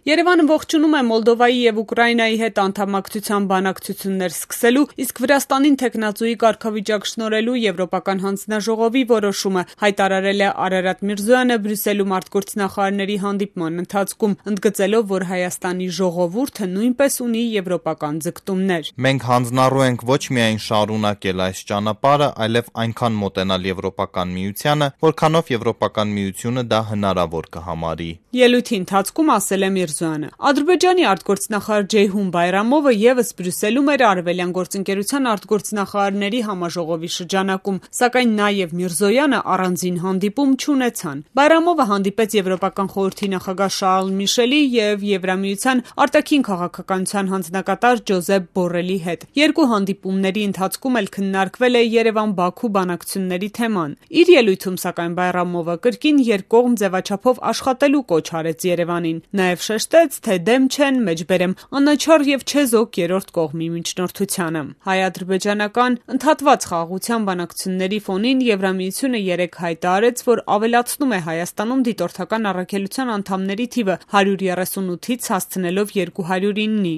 Երևանը ողջունում է Մոլդովայի և Ուկրաինայի հետ անդամակցության բանակցություններ սկսելու, իսկ Վրաստանին թեկնածուի կարգավիճակ շնորհելու Եվրոպական հանձնաժողովի որոշումը, հայտարարել է Արարատ Միրզոյանը Բրյուսելում արտգործնախարարների հանդիպման ընթացքում, ընդգծելով, որ Հայաստանի ժողովուրդը նույնպես ունի եվրոպական ձգտումներ. Մենք հանձնառու ենք ոչ միայն շարունակել այս ճանապարհը, այլև այնքան մոտենալ Եվրոպական միությանը, որքանով Եվրոպական միությունը դա հնարավոր կհամարի. Ելույթի ընթացքում ասել է Միրզոյանը. Ադրբեջանի արտգործնախարար Ջեյհուն Բայրամովը ևս Բրյուսելում էր Արևելյան գործընկերության արտգործնախարարների համաժողովի շրջանակում, սակայն նա եւ Միրզոյանը առանձին հանդիպում չունեցան. Բայրամովը հանդիպեց Եվրոպական խորհրդի նախագահ Շարլ Միշելի եւ Եվրամիության արտաքին քաղաքականության հանձնակատար Ջոզեփ Բորրելի հետ. Երկու հանդիպումների ընթացքում էլ քննարկվել է Երևան-Բաքու բանակցությունների թեման. Իր ելույթում, սակայն, Բայրամովը կրկին երկկողմ ձևաչափով աշխատելու կոչ արեց Երևանին. Նաև շեշտեց, թե դեմ չեն, մեջբերեմ, անաչառ եւ չեզոք երրորդ կողմի միջնորդությանը. Հայ-ադրբեջանական ընդհատված խաղաղության բանակցությունների ֆոնին Եվրամիությունը երեկ հայտարարեց, որ ավելացնում է Հայաստանում դիտորդական առաքելության անդամների թիվը 138-ից հասցնելով 209-ի.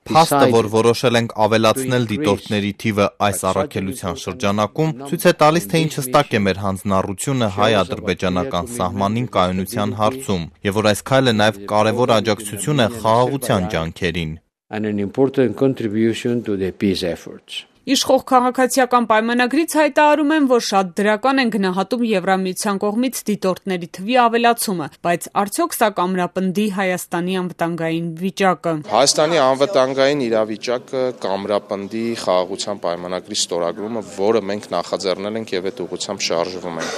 Փաստը, որ որոշել ենք ավելացնել դիտորդների թիվը այս առաքելության շրջանակում, ցույց է տալիս, թե ինչ հստակ է մեր հանձնառությունը հայ-ադրբեջանական սահմանին կայունության հարցում, եւ որ այս քայլը նաեւ կարեւոր աջակցություն է խաղաղության ջանքերին. Իշխող քաղաքացիական պայմանագրից հայտարարում են, որ շատ դրական են գնահատում Եվրամիության կողմից դիտորդների թվի ավելացումը, բայց արդյոք սա կամրապնդի Հայաստանի անվտանգային վիճակը. Հայաստանի անվտանգային իրավիճակը կամրապնդի խաղաղության պայմանագրի ստորագրումը, որը մենք նախաձեռնել ենք եւ այդ ուղղությամբ շարժվում ենք.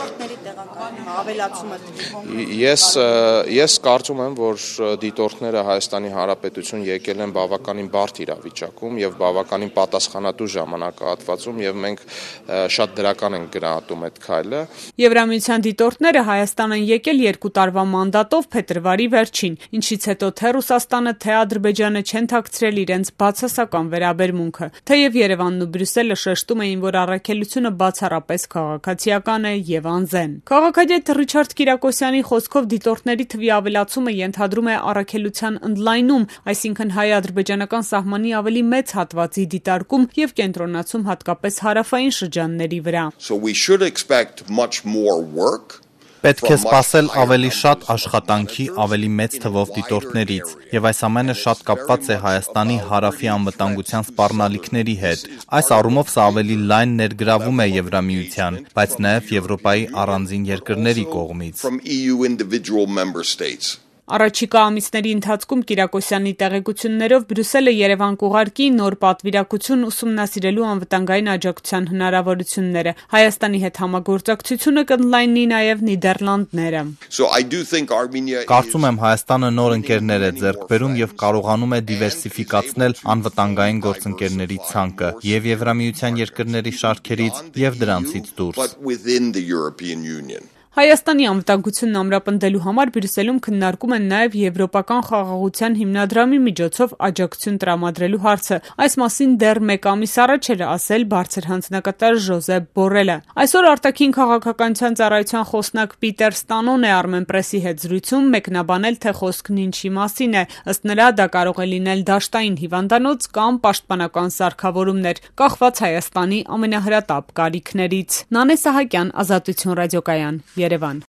Ես կարծում եմ, որ դիտորդները Հայաստանի Հանրապետություն եկել են բավականին բարդ իրավիճակում եւ բավականին պատասխանատու ժամանակահատվածում եւ մենք շատ դրական ենք գնահատում այդ քայլը. Եվրամիության դիտորդները Հայաստան են եկել 2 տարվա մանդատով փետրվարի վերջին, ինչից հետո թե Ռուսաստանը, թե Ադրբեջանը չեն թաքցրել իրենց բացասական վերաբերմունքը, թեև Երևանն ու Բրյուսելը շեշտում էին, որ առաքելությունը բացառապես քաղաքացիական է եւ անզեն. Քաղաքագետ Ռիչարդ Կիրակոսյանի խոսքով դիտորդների թվի ավելացումը ենթադրում է առաքելության ընդլայնում, այսինքն հայ-ադրբեջանական սահմանի ավելի մեծ հատվածի դիտարկում եւ կենտրոնացում հատկապես հարավային շրջանների վրա. Պետք է սպասել ավելի շատ աշխատանքի ավելի մեծ թվով դիտորդներից, եւ այս ամենը շատ կապված է Հայաստանի հարավի անվտանգության սպառնալիքների հետ. Այս առումով սա ավելի լայն ներգրավում է Եվրամիության, բայց նաեւ Եվրոպայի առանձին երկրների կողմից. Առաջիկա ամիսների ընթացքում Կիրակոսյանի տեղեկություններով Բրյուսելը Երևան կուղարկի նոր պատվիրակություն ուսումնասիրելու անվտանգային աջակցության հնարավորությունները. Հայաստանի հետ համագործակցությունը կընդլայնի նաև Նիդերլանդները. Կարծում եմ Հայաստանը նոր ընկերներ է ձեռք բերում եւ կարողանում է դիվերսիֆիկացնել անվտանգային գործընկերների ցանկը եւ Եվրամիության երկրների շարքերից եւ դրանցից դուրս. Հայաստանի անվտանգությունն ամրապնդելու համար Բրյուսելում քննարկում են նաև Եվրոպական խաղաղության հիմնադրամի միջոցով աջակցություն տրամադրելու հարցը. Այս մասին դեռ 1 ամիս առաջ էր ասել բարձր հանձնակատար Ջոզեփ Բորրելը. Այսօր արտաքին քաղաքականության ծառայության խոսնակ Պիտեր Ստանոն է Armenpress-ի հետ զրույցում մեկնաբանել, թե խոսքն ինչի մասին է. ըստ նրա, դա կարող է լինել դաշտային հիվանդանոց կամ պաշտպանական սարքավորումներ, կախված Հայաստանի ամենահրատապ կարիքներից. Նանե Սահակյան, Ազատություն ռադիոկայան, Երևան.